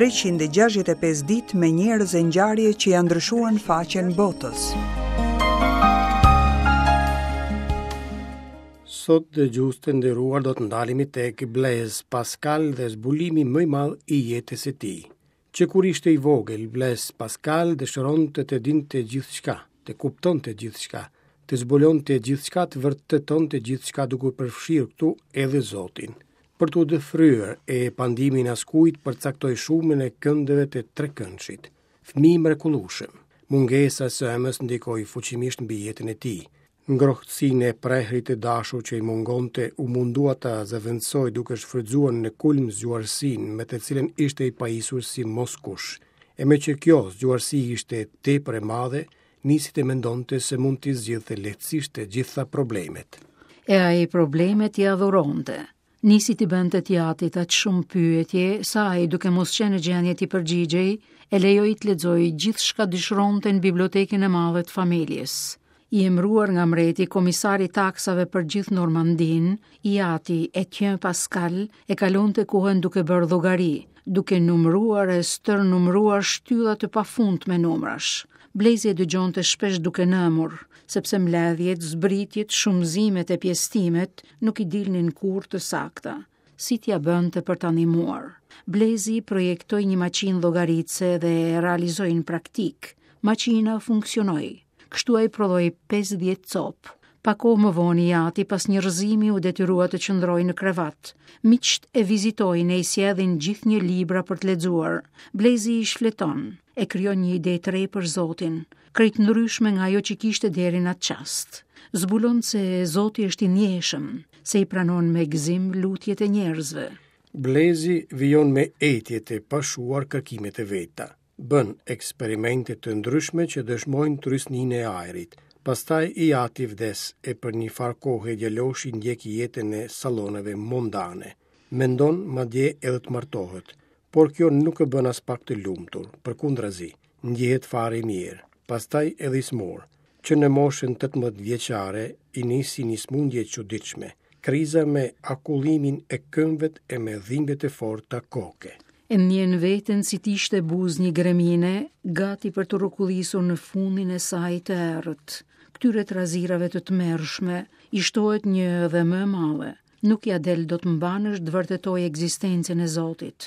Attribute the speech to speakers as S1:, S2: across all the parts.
S1: 365 ditë me njerëz e ngjarje që ia ndryshuan faqen botës.
S2: Sot dëgjues të nderuar do të ndalemi tek Blaise Pascal dhe zbulimi më i madh i jetës së tij. Që kur ishte i vogël, Blaise Pascal dëshironte të dinte gjithçka, të kuptonte gjithçka, të zbulonte gjithçka, të vërtetonte gjithçka duke përfshirë këtu edhe Zotin. Për t'u dëfryer e pa ndihmën e askujt përcaktoi shumën e këndeve të trekëndshit. Fëmijë i mrekullueshëm. Mungesa e së ëmës ndikoi fuqimisht mbi jetën e tij. Ngrohtësinë e prehrit të dashur që i mungonte u mundua ta zëvendësojë duke shfrytëzuar në kulm zgjuarsinë me të cilën ishte i pajisur si moskush. E meqë kjo zgjuarsi ishte tepër e madhe, nisi të mendonte se mund t'i zgjidhte lehtësisht të gjitha
S3: problemet. E ai problemet i adhuronte. Nisi t'i bënte të jatit aq shumë pyetje, sa ai duke mos qenë në gjendje t'i përgjigjej, e lejoi të lexojë gjithçka dëshironte në bibliotekën e madhe të familjes. I emëruar nga mbreti komisar i taksave për gjithë Normandinë, i ati Etienne Pascal e kalonte kohën duke bërë llogari, duke numëruar e stërnumëruar shtylla të pafundme numrash. Blezi e dëgjonte shpesh duke nëmur, sepse mbledhjet, zbritjet, shumëzimet e pjesëtimet nuk i dilnin kurrë të sakta. Si t'ia bënte për ta ndihmuar? Blezi projektoi një maqinë llogaritëse dhe e realizoi në praktikë. Maqina funksionoi. Kështu ai prodhoi 50 copë. Pak kohë më vonë i ati pas një rrëzimi u detyrua të qëndrojë në krevat. Miqtë e vizitojnë e i sjellin gjithnjë libra për të lexuar. Blezi i shfleton, e krijon një ide të re për Zotin, krejt ndryshme nga ajo që kishte deri në atë çast. Zbulon se Zoti është i ndjeshëm, se i pranon me gëzim lutjet e
S2: njerëzve. Blezi vijon me etje të pashuar kërkimet e veta. Bën eksperimente të ndryshme që dëshmojnë trysninë e ajrit. Pastaj i ati vdes e për një farë kohe djaloshi ndjek jetën e salloneve mondane. Mendon madje edhe të martohet, por kjo nuk e bën aspak të lumtur, përkundrazi, ndjehet fare i mjerë, pastaj edhe i sëmurë. Që në moshën 18 vjeçare i nisi një sëmundje e çuditshme, kriza me akullimin e këmbëve e me dhimbje të forta
S3: koke. E ndjen veten si të ishte buzë një gremine, gati për t'u rrokullisur në fundin e saj të errët. Këtyre trazirave të tmerrshme i shtohet një dhe më e madhe. Nuk ia del dot mbanë të vërtetojë ekzistencën e Zotit.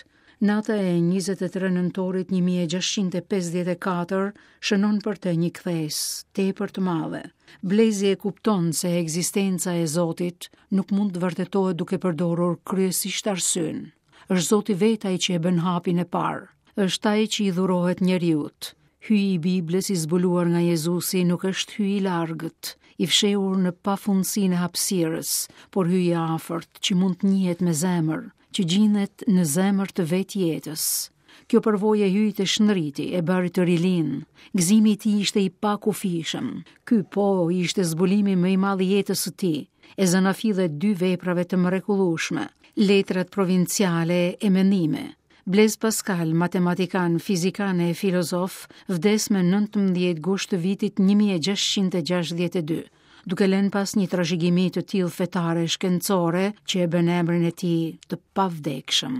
S3: Nata e 23 nëntorit 1654 shënon për të një kthesë tepër të madhe. Blezi e kupton se ekzistenca e Zotit nuk mund të vërtetohet duke përdorur kryesisht arsyen. Është Zoti vetë ai që e bën hapin e parë. Është ai që i dhurohet njeriut. Hyji i Biblës i zbuluar nga Jezusi nuk është hyj i largët, i fshehur në pafundësinë e hapësirës, por hyj i afërt që mund të njihet me zemër, që gjindet në zemër të vetë jetës. Kjo përvojë e Hyjit e shndriti, e bëri të rilindë. Gëzimi i tij ishte i pakufishëm. Ky po ishte zbulimi më i madh i jetës së tij, e zanafilla e dy veprave të mrekullueshme, Letrat provinciale e Mendime. Blez Paskal, matematikan, fizikan e filozof, vdes me 19 gusht të vitit 1662, duke lënë pas një trashëgimi të tillë fetare e shkencore që e bën emrin e tij të pavdekshëm.